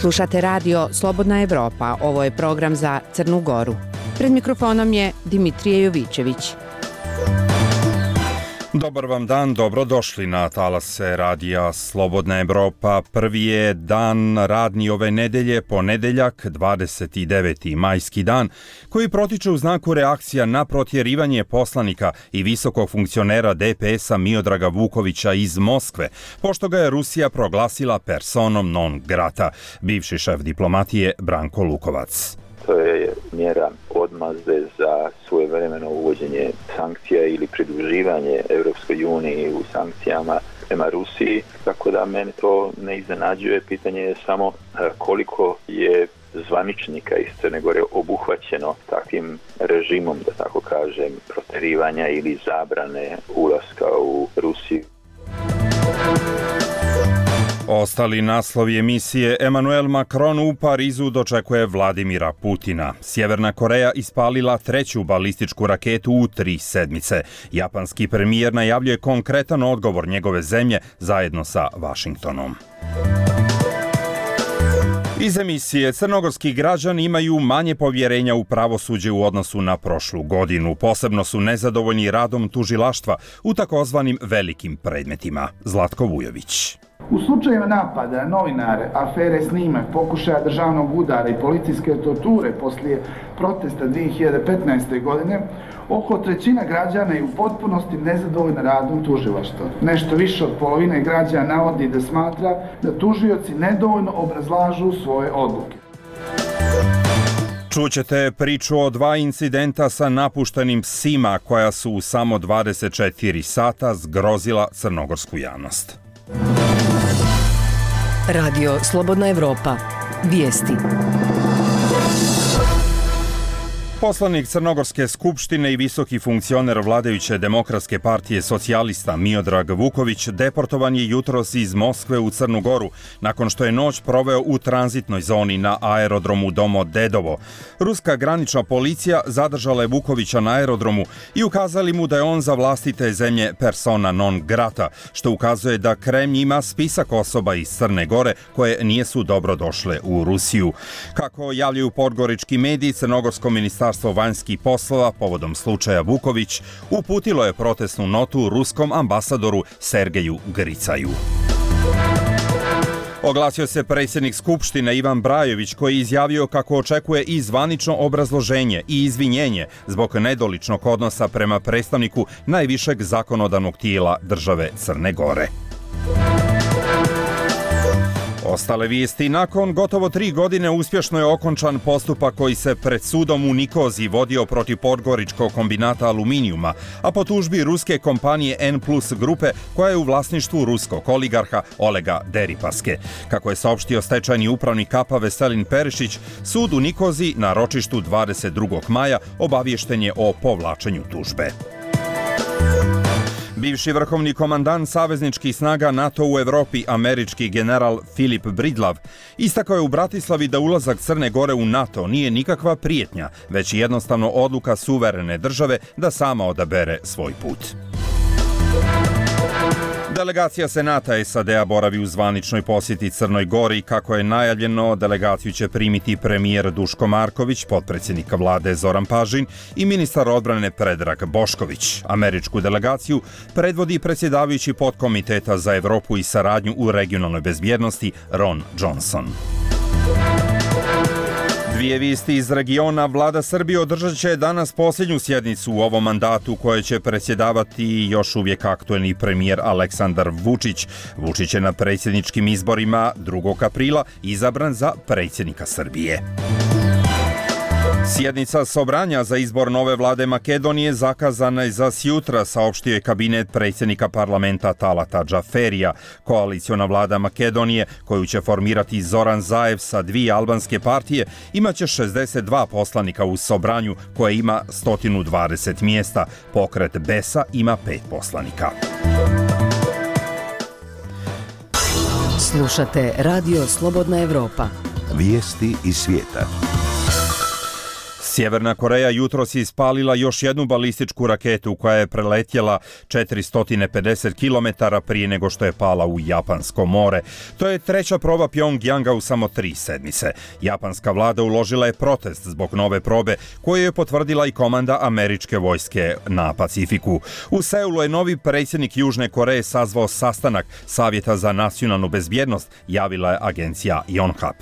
Slušate radio Slobodna Evropa, ovo je program za Crnu Goru. Pred mikrofonom je Dimitrije Jovićević. Dobar vam dan, dobrodošli na talase radija Slobodna Evropa. Prvi je dan radni ove nedelje, ponedeljak, 29. majski dan, koji protiče u znaku reakcija na protjerivanje poslanika i visokog funkcionera DPS-a Miodraga Vukovića iz Moskve, pošto ga je Rusija proglasila personom non grata. Bivši šef diplomatije Branko Lukovac. To je mjera odmazde za svojevremeno uvođenje sankcija ili pridruživanje Europskoj uniji u sankcijama prema Rusiji. Tako da mene to ne iznenađuje. Pitanje je samo koliko je zvaničnika iz Crne Gore obuhvaćeno takvim režimom, da tako kažem, protjerivanja ili zabrane ulaska u Rusiju. Ostali naslovi emisije: Emmanuel Macron u Parizu dočekuje Vladimira Putina. Sjeverna Koreja ispalila treću balističku raketu u 3 sedmice. Japanski premijer najavljuje konkretan odgovor njegove zemlje zajedno sa Vašingtonom. Iz emisije: crnogorski građani imaju manje povjerenja u pravosuđe u odnosu na prošlu godinu. Posebno su nezadovoljni radom tužilaštva u takozvanim velikim predmetima. Zlatko Vujović. U slučaju napada na novinare, afere snimak, pokušaja državnog udara i policijske torture poslije protesta 2015. godine, oko trećina građana je u potpunosti nezadovoljna radom tužilaštva. Nešto više od polovine građana navodi da smatra da tužioci nedovoljno obrazlažu svoje odluke. Čućete priču o 2 incidenta sa napuštenim psima koja su u samo 24 sata zgrozila crnogorsku javnost. Radio Slobodna Evropa. Vijesti. Poslanik Crnogorske skupštine i visoki funkcioner vladajuće Demokratske partije socijalista Miodrag Vuković deportovan je jutros iz Moskve u Crnu Goru nakon što je noć proveo u tranzitnoj zoni na aerodromu Domodedovo. Ruska granična policija zadržala je Vukovića na aerodromu i ukazali mu da je on za vlastite zemlje persona non grata, što ukazuje da Kremlj ima spisak osoba iz Crne Gore koje nijesu dobro došle u Rusiju. Kako javljaju podgorički mediji, crnogorsko ministarstvo vanjskih poslova povodom slučaja Vuković uputilo je protestnu notu ruskom ambasadoru Sergeju Gricaju. Oglasio se predsjednik Skupštine Ivan Brajović, koji je izjavio kako očekuje i zvanično obrazloženje i izvinjenje zbog nedoličnog odnosa prema predstavniku najvišeg zakonodavnog tijela države Crne Gore. Ostale vijesti: nakon gotovo 3 godine uspješno je okončan postupak koji se pred sudom u Nikoziji vodio protiv podgoričkog kombinata aluminijuma, a po tužbi ruske kompanije N+ grupe koja je u vlasništvu ruskog oligarha Olega Deripaske. Kako je saopštio stečajni upravnik Kapa Veselin Perišić, sud u Nikoziji na ročištu 22. maja obaviješten je o povlačenju tužbe. Bivši vrhovni komandant savezničkih snaga NATO u Evropi, američki general Filip Bridlav, istakao je u Bratislavi da ulazak Crne Gore u NATO nije nikakva prijetnja, već jednostavno odluka suverene države da sama odabere svoj put. Delegacija Senata SAD-a boravi u zvaničnoj posjeti Crnoj Gori. Kako je najavljeno, delegaciju će primiti premijer Duško Marković, potpredsjednik vlade Zoran Pažin i ministar odbrane Predrag Bošković. Američku delegaciju predvodi predsjedavajući podkomiteta za Evropu i saradnju u regionalnoj bezbjednosti Ron Johnson. Dvije vijesti iz regiona. Vlada Srbije održat će danas posljednju sjednicu u ovom mandatu koje će predsjedavati još uvijek aktuelni premijer Aleksandar Vučić. Vučić je na predsjedničkim izborima 2. aprila izabran za predsjednika Srbije. Sjednica Sobranja za izbor nove vlade Makedonije zakazana je za sjutra, saopštio je kabinet predsjednika parlamenta Talata Džaferija. Koaliciona vlada Makedonije, koju će formirati Zoran Zaev sa 2 albanske partije, imaće 62 poslanika u Sobranju, koje ima 120 mjesta. Pokret BES-a ima 5 poslanika. Slušate Radio Slobodna Evropa. Vijesti iz svijeta. Sjeverna Koreja jutros je ispalila još jednu balističku raketu koja je preletjela 450 km prije nego što je pala u Japansko more. To je treća proba Pjongjanga u samo 3 sedmice. Japanska vlada uložila je protest zbog nove probe koju je potvrdila i komanda američke vojske na Pacifiku. U Seulu je novi predsjednik Južne Koreje sazvao sastanak Savjeta za nacionalnu bezbjednost, javila je agencija Yonhap.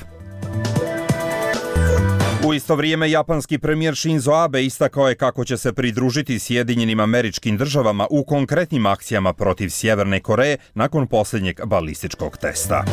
U isto vrijeme japanski premijer Shinzo Abe istakao je kako će se pridružiti Sjedinjenim Američkim Državama u konkretnim akcijama protiv Sjeverne Koreje nakon posljednjeg balističkog testa.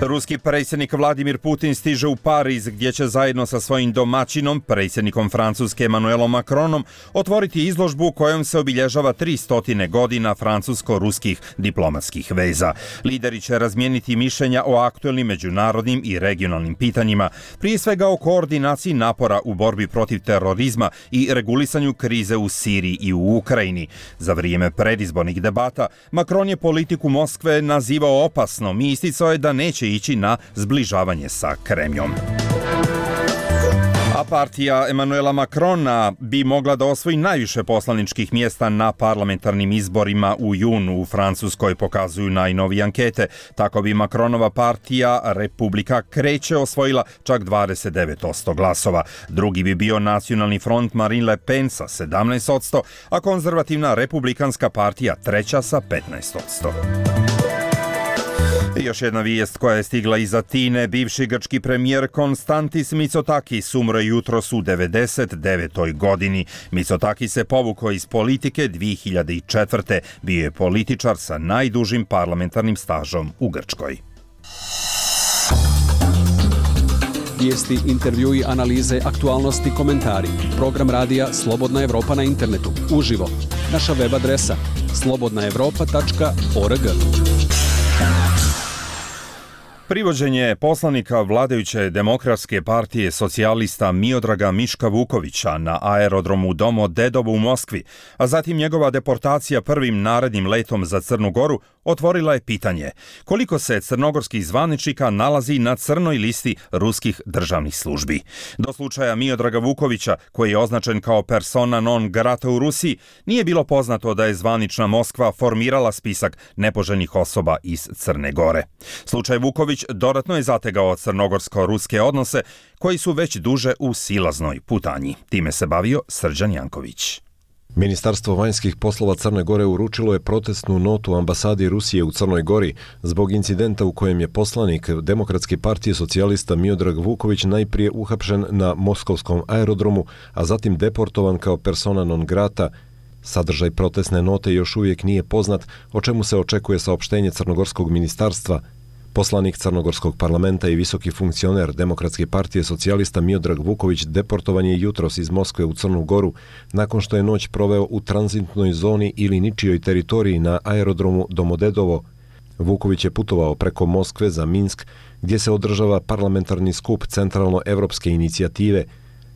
Ruski predsjednik Vladimir Putin stiže u Pariz gdje će zajedno sa svojim domaćinom, predsjednikom Francuske Emmanuelom Macronom, otvoriti izložbu kojom se obilježava 300 godina francusko-ruskih diplomatskih veza. Lideri će razmijeniti mišljenja o aktuelnim međunarodnim i regionalnim pitanjima, prije svega o koordinaciji napora u borbi protiv terorizma i regulisanju krize u Siriji i u Ukrajini. Za vrijeme predizbornih debata Macron je politiku Moskve nazivao opasnom i isticao je da neće ići na zbližavanje sa Kremljom. A partija Emmanuela Macrona bi mogla da osvoji najviše poslaničkih mjesta na parlamentarnim izborima u junu u Francuskoj, pokazuju najnovije ankete. Tako bi Macronova partija Republika kreće osvojila čak 29% glasova. Drugi bi bio Nacionalni front Marine Le Pen sa 17%, a konzervativna Republikanska partija treća sa 15%. I još jedna vijest koja je stigla iz Atine. Bivši grčki premijer Konstantis Mitsotakis umro jutros u 99. godini. Mitsotakis se povukao iz politike 2004. Bio je političar sa najdužim parlamentarnim stažom u Grčkoj. Vijesti, intervjui, analize, aktualnosti, komentari. Program radija Slobodna Evropa na internetu. Uživo. Naša web adresa slobodnaevropa.org. Privođenje poslanika vladajuće Demokratske partije socijalista Miodraga Miška Vukovića na aerodromu Domodedovo u Moskvi, a zatim njegova deportacija prvim narednim letom za Crnu Goru, otvorila je pitanje koliko se crnogorskih zvaničnika nalazi na crnoj listi ruskih državnih službi. Do slučaja Miodraga Vukovića, koji je označen kao persona non grata u Rusiji, nije bilo poznato da je zvanična Moskva formirala spisak nepoželjnih osoba iz Crne Gore. Slučaj Vuković dodatno je zategao crnogorsko-ruske odnose koji su već duže u silaznoj putanji. Time se bavio Srđan Janković. Ministarstvo vanjskih poslova Crne Gore uručilo je protestnu notu ambasadi Rusije u Crnoj Gori zbog incidenta u kojem je poslanik Demokratske partije socijalista Miodrag Vuković najprije uhapšen na moskovskom aerodromu, a zatim deportovan kao persona non grata. Sadržaj protestne note još uvijek nije poznat, o čemu se očekuje saopštenje Crnogorskog ministarstva. Poslanik Crnogorskog parlamenta i visoki funkcioner Demokratske partije socijalista Miodrag Vuković deportovan je jutros iz Moskve u Crnu Goru nakon što je noć proveo u tranzitnoj zoni ili ničijoj teritoriji na aerodromu Domodedovo. Vuković je putovao preko Moskve za Minsk, gdje se održava parlamentarni skup Centralno-evropske inicijative.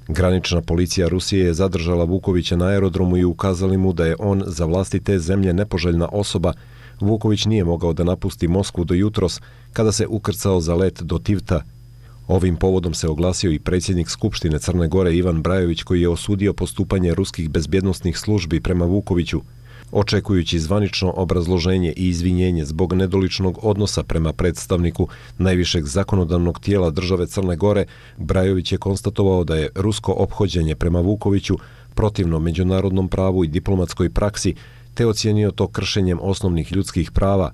Granična policija Rusije je zadržala Vukovića na aerodromu i ukazali mu da je on za vlasti te zemlje nepoželjna osoba. Vuković nije mogao da napusti Moskvu do jutros, kada se ukrcao za let do Tivta. Ovim povodom se oglasio i predsjednik Skupštine Crne Gore Ivan Brajović, koji je osudio postupanje ruskih bezbjednosnih službi prema Vukoviću. Očekujući zvanično obrazloženje i izvinjenje zbog nedoličnog odnosa prema predstavniku najvišeg zakonodavnog tijela države Crne Gore, Brajović je konstatovao da je rusko ophođenje prema Vukoviću protivno međunarodnom pravu i diplomatskoj praksi, te ocijenio to kršenjem osnovnih ljudskih prava.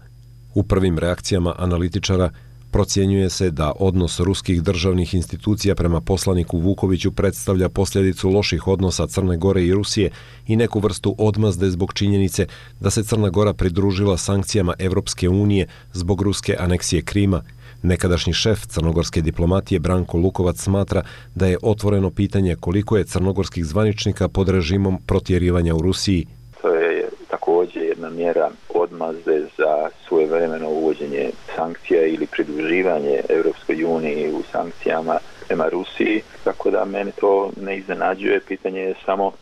U prvim reakcijama analitičara procjenjuje se da odnos ruskih državnih institucija prema poslaniku Vukoviću predstavlja posljedicu loših odnosa Crne Gore i Rusije i neku vrstu odmazde zbog činjenice da se Crna Gora pridružila sankcijama Evropske unije zbog ruske aneksije Krima. Nekadašnji šef crnogorske diplomatije Branko Lukovac smatra da je otvoreno pitanje koliko je crnogorskih zvaničnika pod režimom protjerivanja u Rusiji. To je također jedna mjera odmazde za svojevremeno uvođenje sankcija ili pridruživanje Europskoj uniji u sankcijama prema Rusiji, tako da mene to ne iznenađuje. Pitanje je samo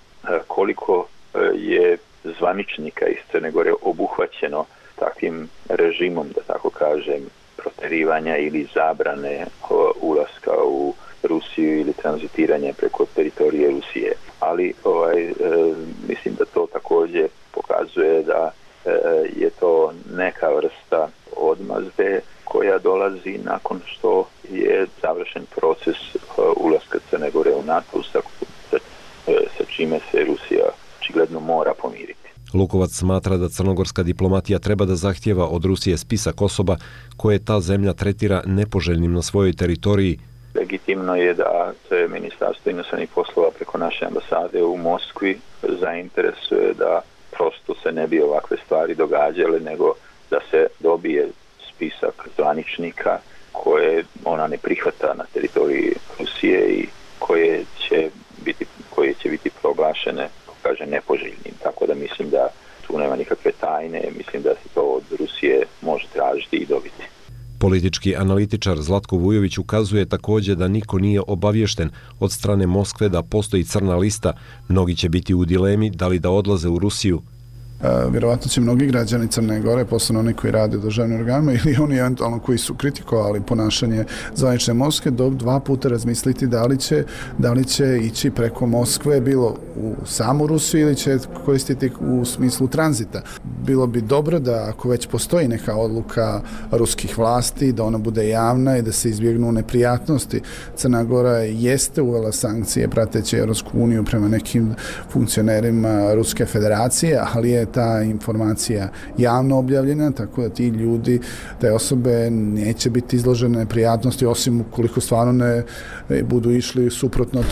koliko je zvaničnika iz Crne Gore obuhvaćeno takvim režimom, da tako kažem, protjerivanja ili zabrane ulaska u Rusiju ili tranzitiranje preko teritorije Rusije. Ali mislim da to također pokazuje da je to neka vrsta odmazde koja dolazi nakon što je završen proces ulaska Crne Gore u NATO, sa čime se Rusija očigledno mora pomiriti. Lukovac smatra da crnogorska diplomatija treba da zahtjeva od Rusije spisak osoba koje ta zemlja tretira nepoželjnim na svojoj teritoriji. Legitimno je da se Ministarstvo inostranih poslova preko naše ambasade u Moskvi zainteresuje da prosto se ne bi ovakve stvari događale, nego da se dobije spisak zvaničnika koje ona ne prihvata na teritoriji Rusije i koje će biti proglašene, kaže, nepoželjnim. Tako da mislim da tu nema nikakve tajne, mislim da se to od Rusije može tražiti i dobiti. Politički analitičar Zlatko Vujović ukazuje također da niko nije obaviješten od strane Moskve da postoji crna lista. Mnogi će biti u dilemi da li da odlaze u Rusiju. Vjerovatno će mnogi građani Crne Gore, posebno oni koji rade u državnim organima ili oni eventualno koji su kritikovali ponašanje zvanične Moskve, dva puta razmisliti da li će ići preko Moskve, bilo u samu Rusiju ili će koristiti u smislu tranzita. Bilo bi dobro da ako već postoji neka odluka ruskih vlasti, da ona bude javna i da se izbjegnu neprijatnosti. Crna Gora jeste uvela sankcije prateći Europsku uniju prema nekim funkcionerima Ruske federacije, ali je ta informacija javno objavljena, tako da ti ljudi, te osobe neće biti izložene neprijatnosti, osim ukoliko stvarno ne budu išli suprotno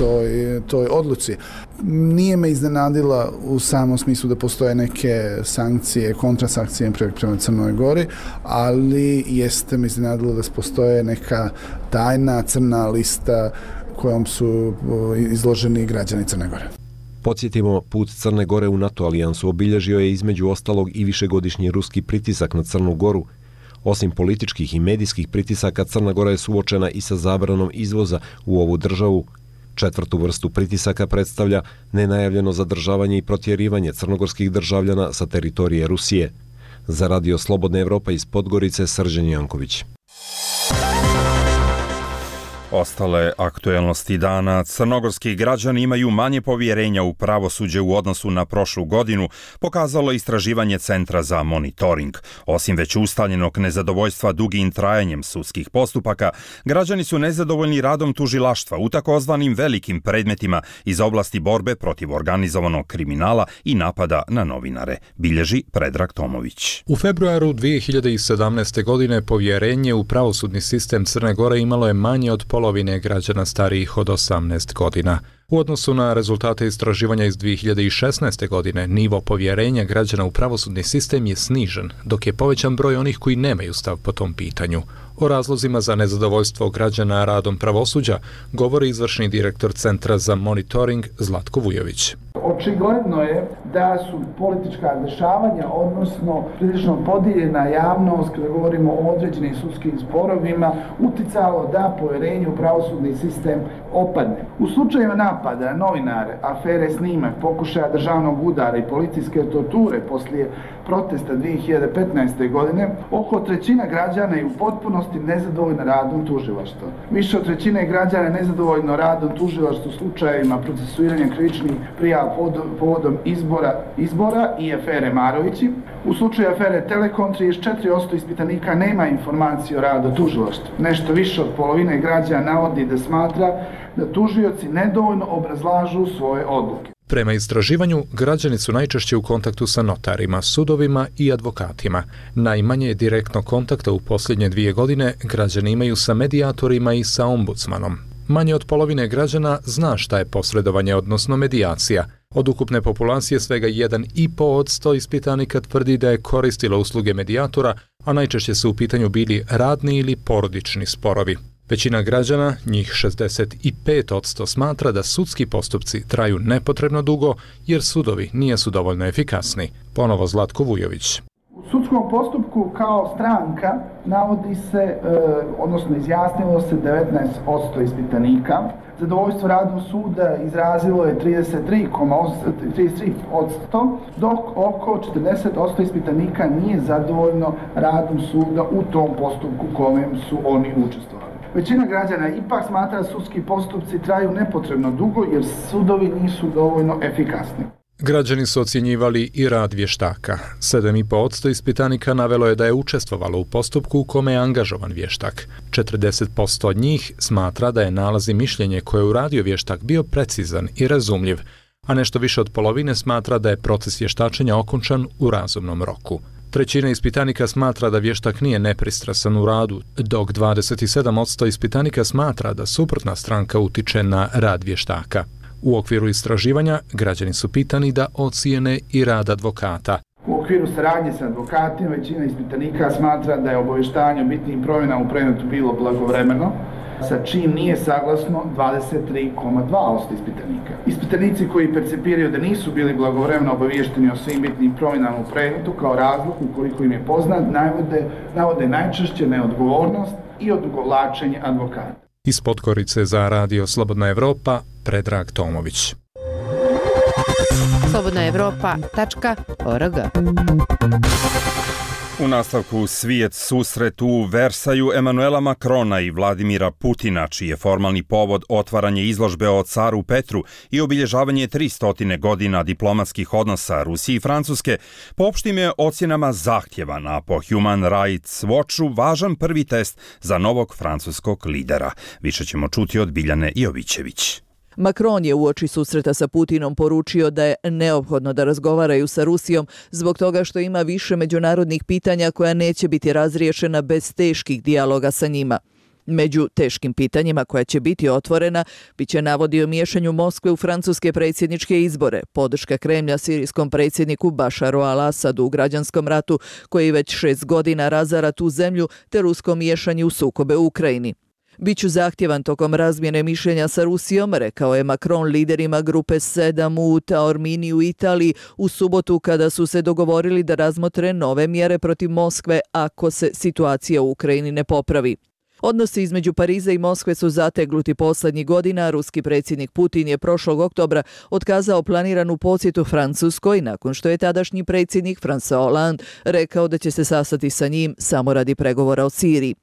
toj odluci. Nije me iznenadila u samom smislu da postoje neke sankcije, kontrasankcije prema Crnoj Gori, ali jeste me iznenadilo da postoje neka tajna crna lista kojom su izloženi građani Crne Gore. Podsjetimo, put Crne Gore u NATO alijansu obilježio je između ostalog i višegodišnji ruski pritisak na Crnu Goru. Osim političkih i medijskih pritisaka, Crna Gora je suočena i sa zabranom izvoza u ovu državu. Četvrtu vrstu pritisaka predstavlja nenajavljeno zadržavanje i protjerivanje crnogorskih državljana sa teritorije Rusije. Za Radio Slobodna Evropa iz Podgorice, Srđan Janković. Ostale aktuelnosti dana. Crnogorski građani imaju manje povjerenja u pravosuđe u odnosu na prošlu godinu, pokazalo istraživanje Centra za monitoring. Osim već ustaljenog nezadovoljstva dugim trajanjem sudskih postupaka, građani su nezadovoljni radom tužilaštva u takozvanim velikim predmetima iz oblasti borbe protiv organizovanog kriminala i napada na novinare, bilježi Predrag Tomović. U februaru 2017. godine povjerenje u pravosudni sistem Crne Gore imalo je manje od polovine građana starijih od 18 godina. U odnosu na rezultate istraživanja iz 2016. godine, nivo povjerenja građana u pravosudni sistem je snižen, dok je povećan broj onih koji nemaju stav po tom pitanju. O razlozima za nezadovoljstvo građana radom pravosuđa govori izvršni direktor Centra za monitoring Zlatko Vujović. Očigledno je da su politička dešavanja, odnosno prilično podijeljena javnost, kada govorimo o određenim sudskim sporovima, uticalo da povjerenje u pravosudni sistem opadne. U slučaju napada na novinare, afere Snimak, pokušaja državnog udara i policijske torture poslije protesta 2015. godine, oko trećina građana je u potpunosti nezadovoljna radom tužilaštva. Više od trećine građana je nezadovoljno radom tužilaštva u slučajevima procesuiranja krivičnih prijava povodom izbora i afere Marovići. U slučaju afere Telekom 34% ispitanika nema informaciju o radu tužilaštva. Nešto više od polovine građana navodi da smatra da tužioci nedovoljno obrazlažu svoje odluke. Prema istraživanju, građani su najčešće u kontaktu sa notarima, sudovima i advokatima. Najmanje direktnog kontakta u posljednje 2 godine građani imaju sa medijatorima i sa ombudsmanom. Manje od polovine građana zna šta je posredovanje, odnosno medijacija. Od ukupne populacije svega 1,5% ispitanika tvrdi da je koristilo usluge medijatora, a najčešće su u pitanju bili radni ili porodični sporovi. Većina građana, njih 65%, smatra da sudski postupci traju nepotrebno dugo jer sudovi nisu dovoljno efikasni. Ponovo Zlatko Vujović. U sudskom postupku kao stranka navodi se, odnosno izjasnilo se 19% ispitanika. Zadovoljstvo radom suda izrazilo je 33%, dok oko 40% ispitanika nije zadovoljno radom suda u tom postupku kojem su oni učestvovali. Većina građana ipak smatra da sudski postupci traju nepotrebno dugo jer sudovi nisu dovoljno efikasni. Građani su ocjenjivali i rad vještaka. 7,5% ispitanika navelo je da je učestvovalo u postupku u kome je angažovan vještak. 40% od njih smatra da je nalaz i mišljenje koje je uradio vještak bio precizan i razumljiv, a nešto više od polovine smatra da je proces vještačenja okončan u razumnom roku. Trećina ispitanika smatra da vještak nije nepristrasan u radu, dok 27% ispitanika smatra da suprotna stranka utiče na rad vještaka. U okviru istraživanja građani su pitani da ocijene i rad advokata. U okviru saradnje sa advokatima većina ispitanika smatra da je obavještanje o bitnim promjenama u predmetu bilo blagovremeno, sa čim nije saglasno 23,2% ispitanika. Ispitanici koji percipiraju da nisu bili blagovremeno obavješteni o svim bitnim promjenama u predmetu kao razlog, ukoliko im je poznat, navode najčešće neodgovornost i odugovlačenje advokata. Iz Podgorice za Radio Slobodna Evropa, Predrag Tomović. slobodnaevropa.org. U nastavku svijet susret u Versaju Emanuela Macrona i Vladimira Putina, čiji je formalni povod otvaranje izložbe o caru Petru i obilježavanje 300 godina diplomatskih odnosa Rusije i Francuske, po opštim je ocjenama zahtjevan, a po Human Rights Watchu važan prvi test za novog francuskog lidera. Više ćemo čuti od Biljane Jovićević. Macron je uoči susreta sa Putinom poručio da je neophodno da razgovaraju sa Rusijom zbog toga što ima više međunarodnih pitanja koja neće biti razriješena bez teških dijaloga sa njima. Među teškim pitanjima koja će biti otvorena biće navodi o miješanju Moskve u francuske predsjedničke izbore, podrška Kremlja sirijskom predsjedniku Bašaru al-Asadu u građanskom ratu koji već 6 godina razara tu zemlju, te rusko miješanje u sukobe u Ukrajini. Biću zahtjevan tokom razmjene mišljenja sa Rusijom, rekao je Macron liderima grupe 7 u Taormini u Italiji u subotu kada su se dogovorili da razmotre nove mjere protiv Moskve ako se situacija u Ukrajini ne popravi. Odnosi između Pariza i Moskve su zategnuti posljednjih godina. Ruski predsjednik Putin je prošlog oktobra otkazao planiranu posjetu Francuskoj nakon što je tadašnji predsjednik François Hollande rekao da će se sastati sa njim samo radi pregovora o Siriji.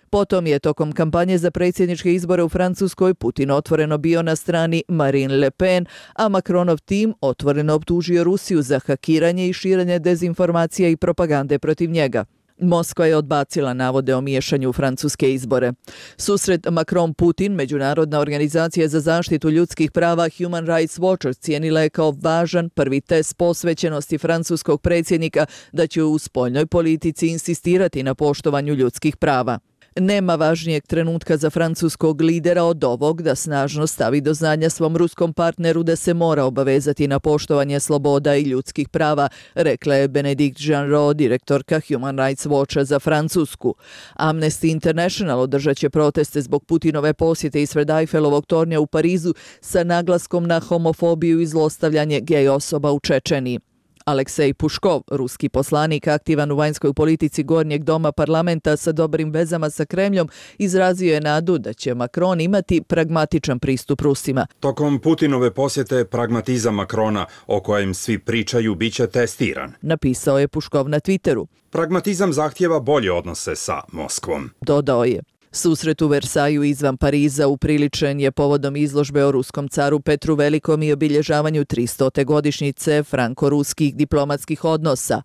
Potom je tokom kampanje za predsjedničke izbore u Francuskoj Putin otvoreno bio na strani Marine Le Pen, a Macronov tim otvoreno optužio Rusiju za hakiranje i širenje dezinformacija i propagande protiv njega. Moskva je odbacila navode o miješanju u francuske izbore. Susret Macron-Putin, Međunarodna organizacija za zaštitu ljudskih prava Human Rights Watch cijenila je kao važan prvi test posvećenosti francuskog predsjednika da će u spoljnoj politici insistirati na poštovanju ljudskih prava. Nema važnijeg trenutka za francuskog lidera od ovog da snažno stavi do znanja svom ruskom partneru da se mora obavezati na poštovanje sloboda i ljudskih prava, rekla je Benedikt Jeanrot, direktorka Human Rights Watcha za Francusku. Amnesty International održat će proteste zbog Putinove posjete ispred Eiffelovog tornja u Parizu sa naglaskom na homofobiju i zlostavljanje gej osoba u Čečeniji. Aleksej Puškov, ruski poslanik aktivan u vanjskoj politici Gornjeg doma parlamenta sa dobrim vezama sa Kremljom, izrazio je nadu da će Macron imati pragmatičan pristup Rusima. Tokom Putinove posjete pragmatizam Macrona, o kojem svi pričaju, biće testiran, napisao je Puškov na Twitteru. Pragmatizam zahtjeva bolje odnose sa Moskvom, dodao je. Susret u Versaju izvan Pariza upriličen je povodom izložbe o ruskom caru Petru Velikom i obilježavanju 300. godišnjice franko-ruskih diplomatskih odnosa.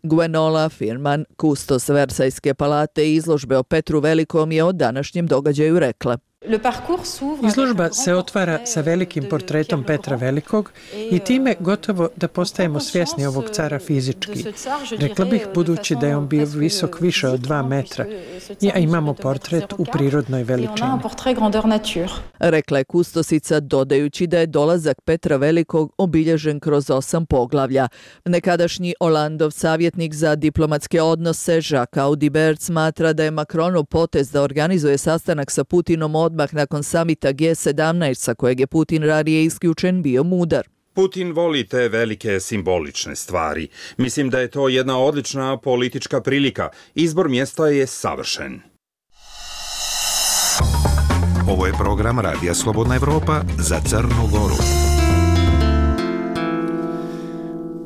Gwenola Firman, kustos Versajske palate i izložbe o Petru Velikom je o današnjem događaju rekla. Izložba se otvara sa velikim portretom Petra Velikog i time gotovo da postajemo svjesni ovog cara fizički. Rekla bih, budući da je on bio visok više od 2 metra, a imamo portret u prirodnoj veličini. Rekla je kustosica, dodajući da je dolazak Petra Velikog obilježen kroz 8 poglavlja. Nekadašnji Hollandov savjetnik za diplomatske odnose Jacques Audibert smatra da je Macronov potez da organizuje sastanak sa Putinom odmah nakon samita G17 sa kojeg je Putin ranije isključen bio mudar. Putin voli te velike simbolične stvari. Mislim da je to jedna odlična politička prilika. Izbor mjesta je savršen. Ovo je program Radija Slobodna Evropa za Crnu Goru.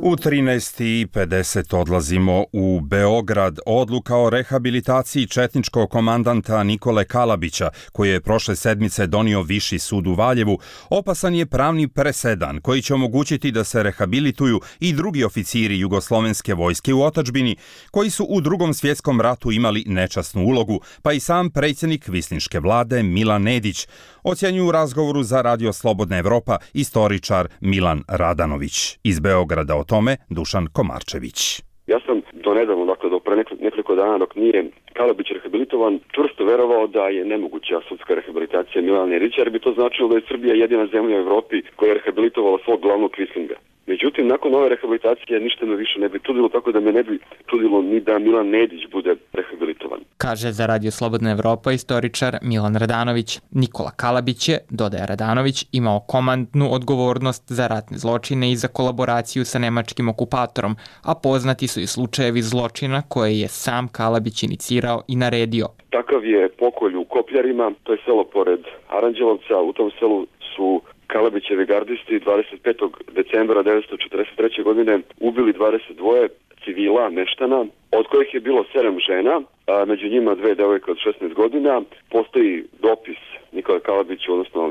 U 13:50 odlazimo u Beograd. Odluka o rehabilitaciji četničkog komandanta Nikole Kalabića, koji je prošle sedmice donio Viši sud u Valjevu, opasan je pravni presedan koji će omogućiti da se rehabilituju i drugi oficiri jugoslovenske vojske u otadžbini, koji su u Drugom svjetskom ratu imali nečasnu ulogu, pa i sam predsjednik kvislinške vlade Milan Nedić, ocjenjuju u razgovoru za Radio Slobodna Evropa istoričar Milan Radanović. Iz Beograda o tome Dušan Komarčević. Ja sam do nedavno, dakle do pre nekoliko dana dok nije Kalabić rehabilitovan, čvrsto verovao da je nemoguća sudska rehabilitacija Milana Nedića, jer bi to značilo da je Srbija jedina zemlja u Evropi koja je rehabilitovala svog glavnog kvislinga. Međutim, nakon ove rehabilitacije ništa me više ne bi čudilo, tako da me ne bi čudilo ni da Milan Nedić bude rehabilitovan. Kaže za Radio Slobodna Evropa istoričar Milan Radanović. Nikola Kalabić je, dodaje Radanović, imao komandnu odgovornost za ratne zločine i za kolaboraciju sa nemačkim okupatorom, a poznati su i slučajevi zločina koje je sam Kalabić inicirao i naredio. Takav je pokolj u Kopljarima, to je selo pored Aranđelovca, u tom selu su Kalabićevi gardisti 25. decembra 1943. godine ubili 22 civila, meštana, od kojih je bilo 7 žena, a među njima 2 devojke od 16 godina. Postoji dopis Nikole Kalabiću, odnosno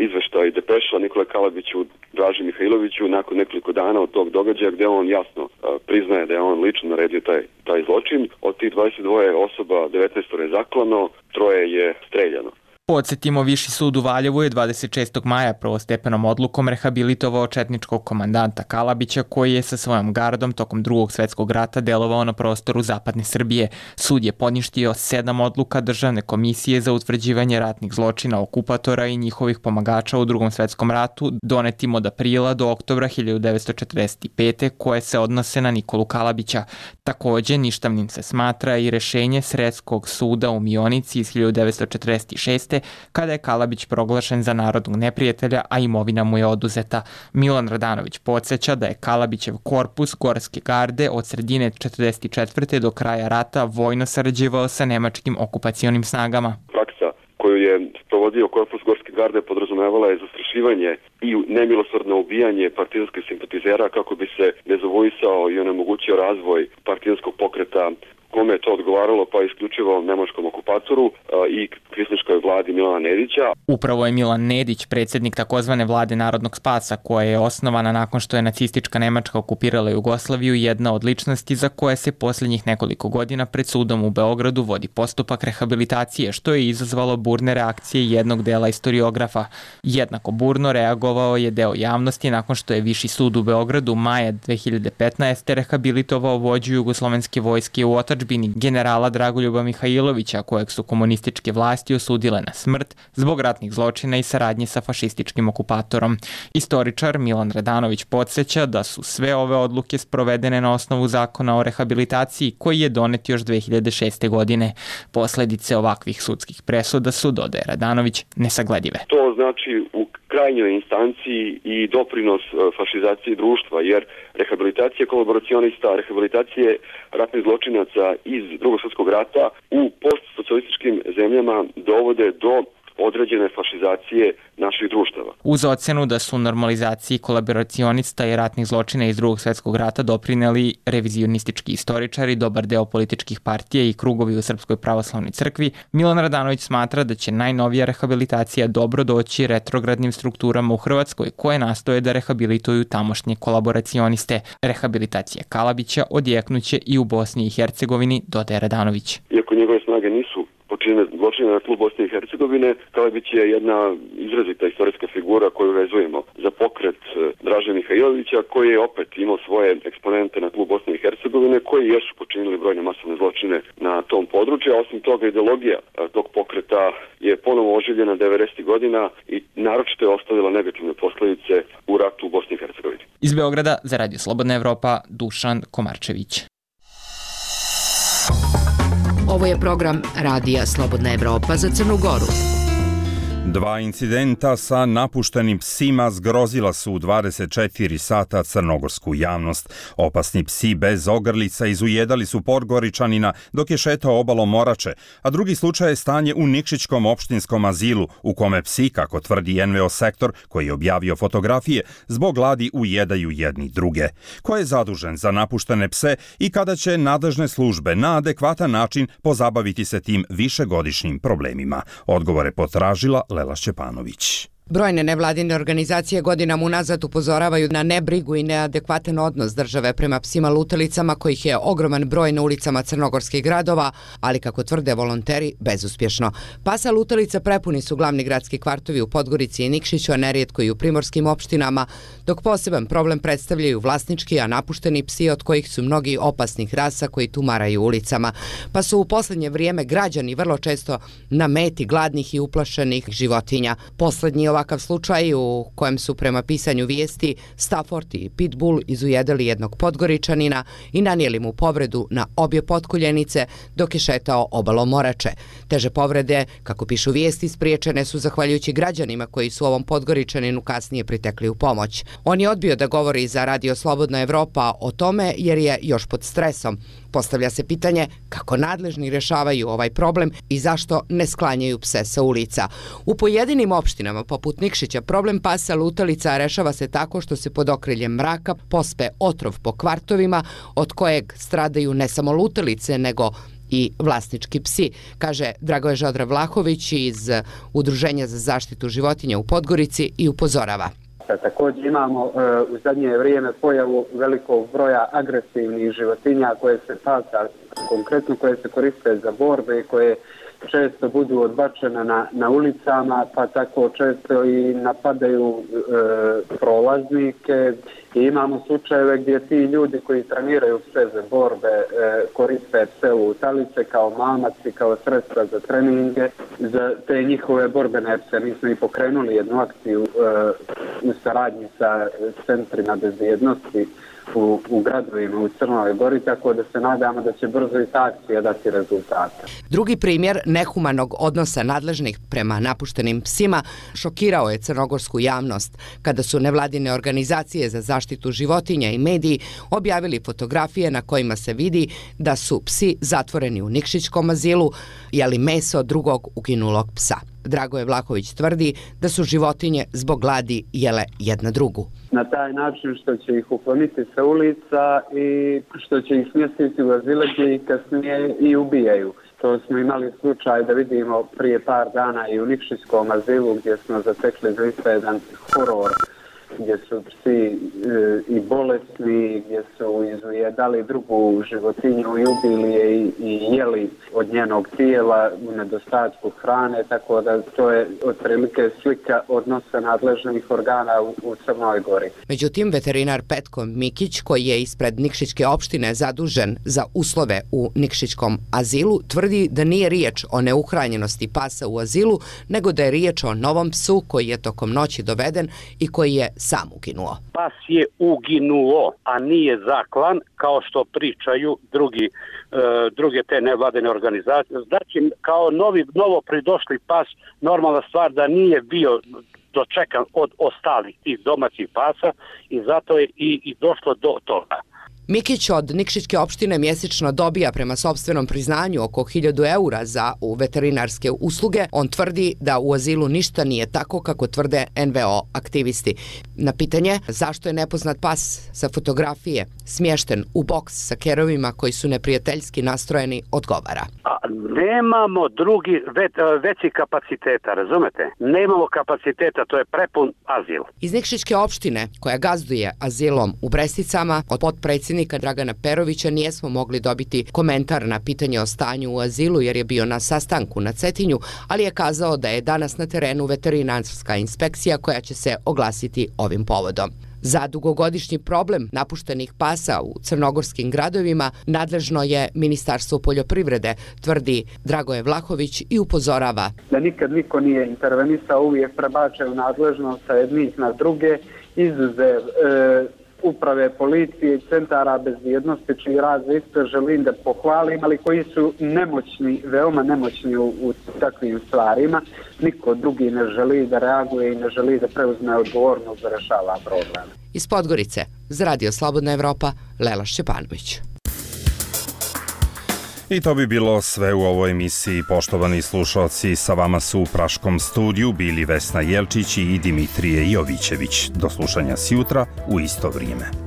izveštaj depeša Nikole Kalabiću Draži Mihajloviću nakon nekoliko dana od tog događaja, gdje on jasno priznaje da je on lično naredio taj zločin. Od tih 22 osoba 19 je zaklano, 3 je streljano. Podsjetimo, Viši sud u Valjevu je 26. maja prvostepenom odlukom rehabilitovao četničkog komandanta Kalabića, koji je sa svojom gardom tokom Drugog svjetskog rata delovao na prostoru zapadne Srbije. Sud je poništio 7 odluka Državne komisije za utvrđivanje ratnih zločina okupatora i njihovih pomagača u Drugom svjetskom ratu, donetim od aprila do oktobra 1945. koje se odnose na Nikolu Kalabića. Također, ništavnim se smatra i rešenje Sredskog suda u Mionici iz 1946. kada je Kalabić proglašen za narodnog neprijatelja, a imovina mu je oduzeta. Milan Radanović podsjeća da je Kalabićev korpus Gorske garde od sredine 1944. do kraja rata vojno sarađivao sa nemačkim okupacionim snagama. Praksa koju je provodio korpus Gorske garde podrazumevala je zastrašivanje i nemilosrdno ubijanje partizanskih simpatizera kako bi se dezavuisao i onemogućio razvoj partizanskog pokreta, kome je to odgovaralo, pa isključivo nemačkom okupatoru i kvislinškoj vladi Milana Nedića. Upravo je Milan Nedić, predsjednik takozvane vlade Narodnog spasa, koja je osnovana nakon što je nacistička Nemačka okupirala Jugoslaviju, jedna od ličnosti za koje se posljednjih nekoliko godina pred sudom u Beogradu vodi postupak rehabilitacije, što je izazvalo burne reakcije jednog dela istoriografa. Jednako burno reagovao je deo javnosti nakon što je Viši sud u Beogradu maja 2015. rehabilitovao vođu jugoslovenske vojske u otadžbini generala Dragoljuba Mihajlovića, kojeg su komunističke vlasti osudile na smrt zbog ratnih zločina i saradnje sa fašističkim okupatorom. Istoričar Milan Radanović podsjeća da su sve ove odluke sprovedene na osnovu zakona o rehabilitaciji koji je donet još 2006. godine. Posljedice ovakvih sudskih presuda su, dodaje Radanović, nesagledive. To znači u krajnjoj instanciji i doprinos fašizaciji društva, jer rehabilitacija kolaboracionista, rehabilitacije ratnih zločinaca iz Drugog svjetskog rata u postsocijalističkim zemljama dovode do određene fašizacije naših društava. Uz ocenu da su normalizaciji kolaboracionista i ratnih zločina iz Drugog svjetskog rata doprineli revizionistički istoričari, dobar deo političkih partija i krugovi u Srpskoj pravoslavnoj crkvi, Milan Radanović smatra da će najnovija rehabilitacija dobro doći retrogradnim strukturama u Hrvatskoj koje nastoje da rehabilituju tamošnje kolaboracioniste. Rehabilitacija Kalabića odjeknuće i u Bosni i Hercegovini, dodaje Radanović. Iako njegove snage nisu počinjene zločine na tlu Bosne i Hercegovine, Kalabić je jedna izrazita istorijska figura koju vezujemo za pokret Draže Mihajlovića, koji je opet imao svoje eksponente na tlu Bosne i Hercegovine, koji jesu počinili brojne masovne zločine na tom području, a osim toga ideologija tog pokreta je ponovo oživljena 90. godina i naročito je ostavila negativne posljedice u ratu u Bosni i Hercegovini. Iz Beograda za Radio Slobodna Evropa, Dušan Komarčević. Ovo je program Radija Slobodna Evropa za Crnu Goru. Dva incidenta sa napuštenim psima zgrozila su u 24 sata crnogorsku javnost. Opasni psi bez ogrlica izujedali su Podgoričanina dok je šetao obalom Morače, a drugi slučaj je stanje u Nikšićkom opštinskom azilu, u kome psi, kako tvrdi NVO sektor, koji je objavio fotografije, zbog gladi ujedaju jedni druge. Ko je zadužen za napuštene pse i kada će nadležne službe na adekvatan način pozabaviti se tim višegodišnjim problemima? Odgovore potražila Lela Šćepanović. Brojne nevladine organizacije godinama unazad upozoravaju na nebrigu i neadekvatan odnos države prema psima lutalicama, kojih je ogroman broj na ulicama crnogorskih gradova, ali kako tvrde volonteri, bezuspješno. Pasa lutalica prepuni su glavni gradski kvartovi u Podgorici i Nikšiću, a nerijetko i u primorskim opštinama, dok poseban problem predstavljaju vlasnički, a napušteni psi, od kojih su mnogi opasnih rasa koji tumaraju ulicama. Pa su u posljednje vrijeme građani vrlo često na meti gladnih i uplašenih životinja. Poslednji ovakav slučaj u kojem su prema pisanju vijesti Stafford i Pitbull izujedali jednog Podgoričanina i nanijeli mu povredu na obje potkoljenice dok je šetao obalom Morače. Teže povrede, kako pišu vijesti, spriječene su zahvaljujući građanima koji su ovom Podgoričaninu kasnije pritekli u pomoć. On je odbio da govori za Radio Slobodna Evropa o tome jer je još pod stresom. Postavlja se pitanje kako nadležni rješavaju ovaj problem i zašto ne sklanjaju pse sa ulica. U pojedinim opštinama poput Nikšića problem pasa lutalica rešava se tako što se pod okriljem mraka pospe otrov po kvartovima od kojeg stradaju ne samo lutalice nego i vlasnički psi, kaže Dragoje Žodra Vlahović iz Udruženja za zaštitu životinja u Podgorici i upozorava. Također imamo u zadnje vrijeme pojavu velikog broja agresivnih životinja koje se pasa, konkretno koje se koriste za borbe i koje često budu odbačene na ulicama, pa tako često i napadaju prolaznike. I imamo slučajeve gdje ti ljudi koji treniraju pse za borbe koriste pse lutalice kao mamaci, kao sredstva za treninge, za te njihove borbene pse. Mi smo i pokrenuli jednu akciju u saradnji sa centrima bezbjednosti u gradovima u Crnoj Gori, tako da se nadamo da će brzo i ta akcija dati rezultate. Drugi primjer nehumanog odnosa nadležnih prema napuštenim psima šokirao je crnogorsku javnost kada su nevladine organizacije za zaštitu životinja i mediji objavili fotografije na kojima se vidi da su psi zatvoreni u Nikšićkom azilu, jeli meso drugog uginulog psa. Dragoje Vlahović tvrdi da su životinje zbog gladi jele jedna drugu. Na taj način što će ih ukloniti sa ulica i što će ih smjestiti u azile gdje ih kasnije i ubijaju. To smo imali slučaj da vidimo prije par dana i u Nikšićkom azilu gdje smo zatekli zaista jedan horor, gdje su psi i bolesni, gdje su izujedali drugu životinju i ubili je i jeli od njenog tijela u nedostatku hrane, tako da to je otprilike slika odnosa nadležnih organa u Crnoj Gori. Međutim, veterinar Petko Mikić, koji je ispred Nikšićke opštine zadužen za uslove u Nikšićkom azilu, tvrdi da nije riječ o neuhranjenosti pasa u azilu, nego da je riječ o novom psu koji je tokom noći doveden i koji je sam uginuo. Pas je uginuo, a nije zaklan, kao što pričaju druge te nevladine organizacije. Znači, kao novo pridošli pas, normalna stvar da nije bio dočekan od ostalih tih domaćih pasa i zato je i došlo do toga. Mikić od Nikšićke opštine mjesečno dobija prema sopstvenom priznanju oko 1000 eura za veterinarske usluge. On tvrdi da u azilu ništa nije tako kako tvrde NVO aktivisti. Na pitanje zašto je nepoznat pas sa fotografije smješten u boks sa kerovima koji su neprijateljski nastrojeni, odgovara. Nemamo veći kapaciteta, razumete? Nemamo kapaciteta, to je prepun azil. Iz Nikšićke opštine, koja gazduje azilom u Bresticama, od potpredsjednika Dragana Perovića nijesmo mogli dobiti komentar na pitanje o stanju u azilu jer je bio na sastanku na Cetinju, ali je kazao da je danas na terenu veterinarska inspekcija koja će se oglasiti ovim povodom. Za dugogodišnji problem napuštenih pasa u crnogorskim gradovima nadležno je Ministarstvo poljoprivrede, tvrdi Dragoje Vlahović i upozorava. Da nikad niko nije intervenisao, uvijek prebačaju nadležnost sa jednih na druge, izuzev uprave, policije i centara bezbjednosti, čiji rad isto želim da pohvalim, ali koji su nemoćni, veoma nemoćni u takvim stvarima. Niko drugi ne želi da reaguje i ne želi da preuzme odgovornost da rešava problem. Iz Podgorice, za Radio Slobodna Evropa, Lela Šćepanović. I to bi bilo sve u ovoj emisiji. Poštovani slušalci, sa vama su u Praškom studiju bili Vesna Jelčić i Dimitrije Jovićević. Do slušanja sjutra u isto vrijeme.